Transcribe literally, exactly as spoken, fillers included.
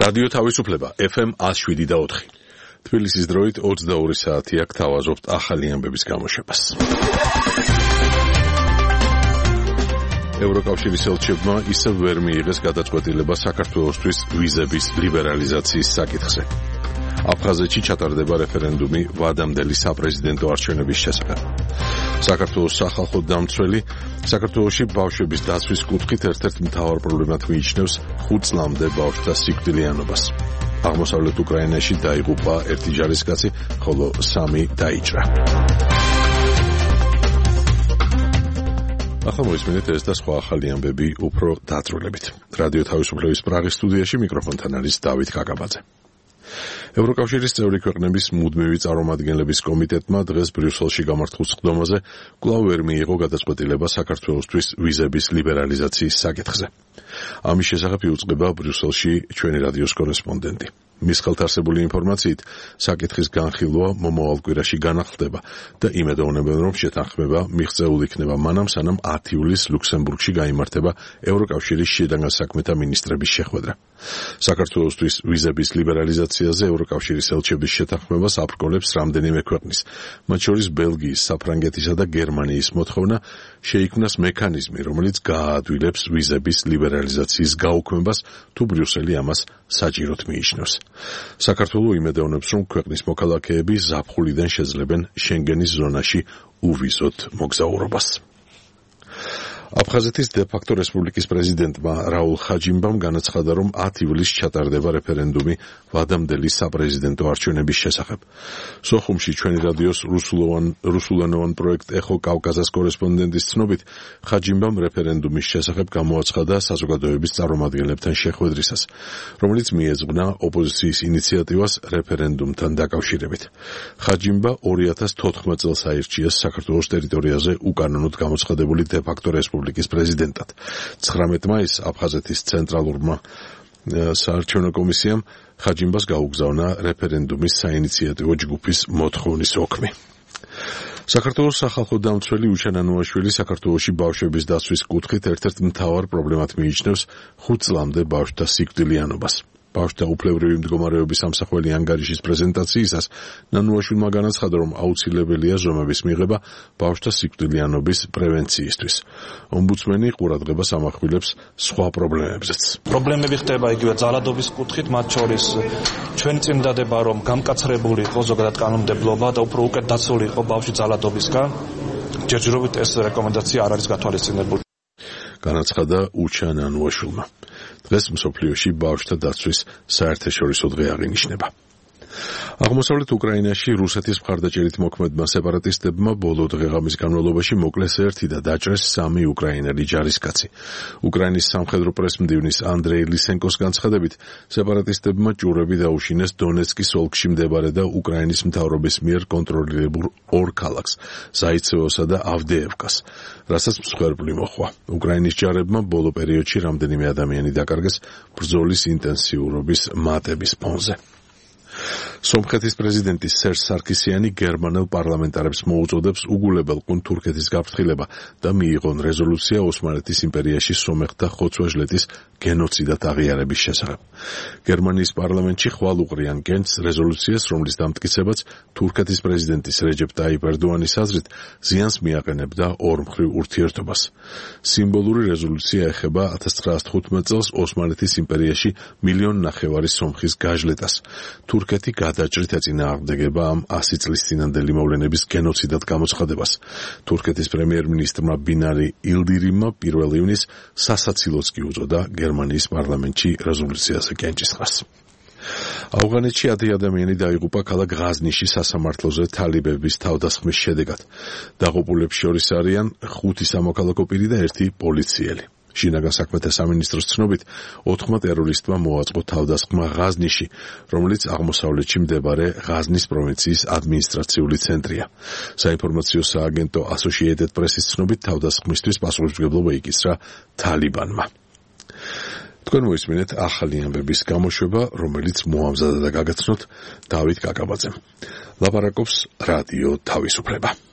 რადიო თავისუფლება ეფ ემ one oh seven და four. თბილისის დროით ოცდაორი საათი აქ თავაზობთ ახალი ამბების გამოშვებას. ევროკავშირის ელჩებმა ისევ ვერ მიიღეს გადაწყვეტილება საქართველოსთვის ვიზების ლიბერალიზაციის საკითხზე. აფხაზეთში ჩატარდება რეფერენდუმი ვადამდელი საპრეზიდენტო არჩევნების შესახებ. საქართველოს სახალხო დამცველი საქართველოში ბავშვების დაცვის კუთხით ერთ-ერთ მთავარ პრობლემად მიიჩნევს ხუთ წლამდე ბავშვთა სიკვდილიანობას. აღმოსავლეთ უკრაინაში დაიღუპა ერთი ჯარისკაცი, ხოლო სამი დაიჭრა. ახლა მოისმინეთ ეს და სხვა ახალი ამბები უფრო დაწვრილებით. რადიო თავისუფლების პრაღის სტუდიაში მიკროფონთან არის დავით კაკაბაძე. ევროკავშირის წევრი ქვეყნების მუდმივი წარმომადგენლების კომიტეტმა დღეს ბრიუსელში გამართულ სხდომაზე კვლავ ვერ მიიღო გადაწყვეტილება საქართველოსთვის ვიზების ლიბერალიზაციის საკითხზე. ამის შესახებ იუწყება ბრიუსელში ჩვენი რადიოს კორესპონდენტი. მის ხელთ არსებული ინფორმაციით, საკითხის განხილვა მომავალ კვირაში განახლდება და იმედოვნებენ, რომ შეთანხმება მიღწეულ იქნება მანამ, სანამ ათი ივლისს ლუქსემბურგში გაიმართება ევროკავშირის შინაგან საქმეთა მინისტრების შეხვედრა. საქართველოსთვის ვიზების ლიბერალიზაციაზე ევროკავშირის ელჩების შეთანხმებას აბრკოლებს რამდენიმე ქვეყნის, მათ შორის ბელგიის, საფრანგეთისა და გერმანიის მოთხოვნა შეიქმნას მექანიზმი, რომელიც გააადვილებს ვიზების ლიბერალიზაციის გაუქმებას, თუ ბრიუსელი ამას საჭიროდ მიიჩნევს. საქართველო იმედოვნებს, რომ ქვეყნის მოქალაქეები ზაფხულიდან შეძლებენ შენგენის ზონაში უვიზოთ მოგზაურობას. აფხაზეთის დე-ფაქტო რესპუბლიკის პრეზიდენტმა რაულ ხაჯიმბამ განაცხადა, რომ ათი ივლისს ჩატარდება რეფერენდუმი ვადამდელი საპრეზიდენტო არჩევნების შესახებ. სოხუმში ჩვენი რადიოს რუსულენოვან პროექტ ეხო კავკაზას კორესპონდენტის ცნობით, ხაჯიმბამ რეფერენდუმის შესახებ გამოაცხადა საზოგადოების წარმომადგენლებთან შეხვედრისას, რომელიც მიეძღვნა ოპოზიციის ინიციატივას რეფერენდუმთან დაკავშირებით. ხაჯიმბა ორი ათას თოთხმეტ წელს აირჩიეს საქართველოს ტერიტორიაზე უკანონოდ გამოცხადებული დე-ფაქტო რესპუბლიკის პრეზიდენტად. ცხრამეტ მაისს აფხაზეთის ცენტრალურმა საარჩევნო კომისიამ ხაჯიმბას გაუგზავნა რეფერენდუმის საინიციატივო ჯგუფის მოთხოვნის ოქმი. საქართველოს სახალხო დამცველი უჩან ანუაშვილი საქართველოში ბავშვების დაცვის კუთხით ერთ-ერთ მთავარ პრობლემად მიიჩნევს ხუთ წლამდე ბავშვთა სიკვდილიანობას. ბავშვთა უფლებრივი მდგომარეობის სამსახველი ანგარიშის პრეზენტაციისას ნანუაშვილმა განაცხადა, რომ აუცილებელია ზომების მიღება ბავშვთა სიკვდილიანობის პრევენციისთვის. ომბუდსმენი ყურადღებას ამახვილებს სხვა პრობლემებზეც. პრობლემები ხდება იგივე ძალადობის კუთხით, მათ შორის ჩვენ წინ დადება, რომ გამკაცრებული იყო ზოგადად კანონმდებლობა და უფრო უკეთ დაცული იყო ბავშვი ძალადობისგან. ჯერჯერობით ეს რეკომენდაცია არ არის გათვალისწინებული. განაცხადა უჩან ანუაშვილმა. დღეს მსოფლიოში ბავშვთა დაცვის საერთაშორისო დღე აღინიშნება. აღმოსავლეთ უკრაინაში რუსეთის მხარდაჭერით მოქმედმა სეპარატისტებმა ბოლო დღეღამის განმავლობაში მოკლეს ერთი და დაჭრეს სამი უკრაინელი ჯარისკაცი. უკრაინის სამხედრო პრესმდივნის ანდრეი ლისენკოს განცხადებით, სეპარატისტებმა ჭურები დაუშინეს დონეცკის ოლქში მდებარე და უკრაინის მთავრობის მიერ კონტროლირებულ ორ ქალაქს, ზაიცევოსა და ავდეევკას, რასაც მსხვერპლი მოჰყვა. უკრაინის ჯარებმა ბოლო პერიოდში რამდენიმე ადამიანი დაკარგეს ბრძოლის ინტენსიურობის მატების ფონზე. სომხეთის პრეზიდენტი სერჟ სარქისიანი გერმანელ პარლამენტარებს მოუწოდებს უგულებელყუნ თურქეთის გაფრთხილება და მიიღონ რეზოლუცია ოსმალეთის იმპერიაში სომეხთა ხოცვა-ჟლეტის გენოციდად აღიარების შესახებ. გერმანიის პარლამენტში ხვალ უყრიან კენჭს რეზოლუციას, რომლის დამტკიცებაც თურქეთის პრეზიდენტის რეჯეპ ტაიპ ერდოანის აზრით ზიანს მიაყენებდა ორმხრივ ურთიერთობას. სიმბოლური რეზოლუცია ეხება ათას ცხრაასა თხუთმეტ წელს ოსმალეთის იმპერიაში მილიონ ნახევარი სომხის გაჟლეტას. თურქეთი გადაჭრით ეწინააღმდეგება ამ ასი წლის წინანდელი მოვლენების გენოციდად გამოცხადებას. თურქეთის პრემიერ-მინისტრმა ბინარი ილდირიმმა პირველ ივნისს სასაცილოც კი უწოდა გერმანიის პარლამენტში რეზოლუციაზე კენჭისყრას. ავღანეთში ათი ადამიანი დაიღუპა ქალაქ ღაზნიში სასამართლოზე თალიბების თავდასხმის შედეგად. დაღუპულებს შორის არიან ხუთი სამოქალაქო პირი და ერთი პოლიციელი. შინაგან საქმეთა სამინისტროს ცნობით, ოთხმა ტერორისტმა მოაწყო თავდასხმა ღაზნიში, რომელიც აღმოსავლეთში მდებარე ღაზნის პროვინციის ადმინისტრაციული ცენტრია. საინფორმაციო სააგენტო Associated Press-ის ცნობით, თავდასხმისთვის პასუხისმგებლობა იკისრა თალიბანმა. თქვენ მოისმინეთ ახალი ამბების გამოშვება, რომელიც მოამზადა და გაგაცნოთ დავით კაკაბაძემ. ლაპარაკობს რადიო თავისუფლება.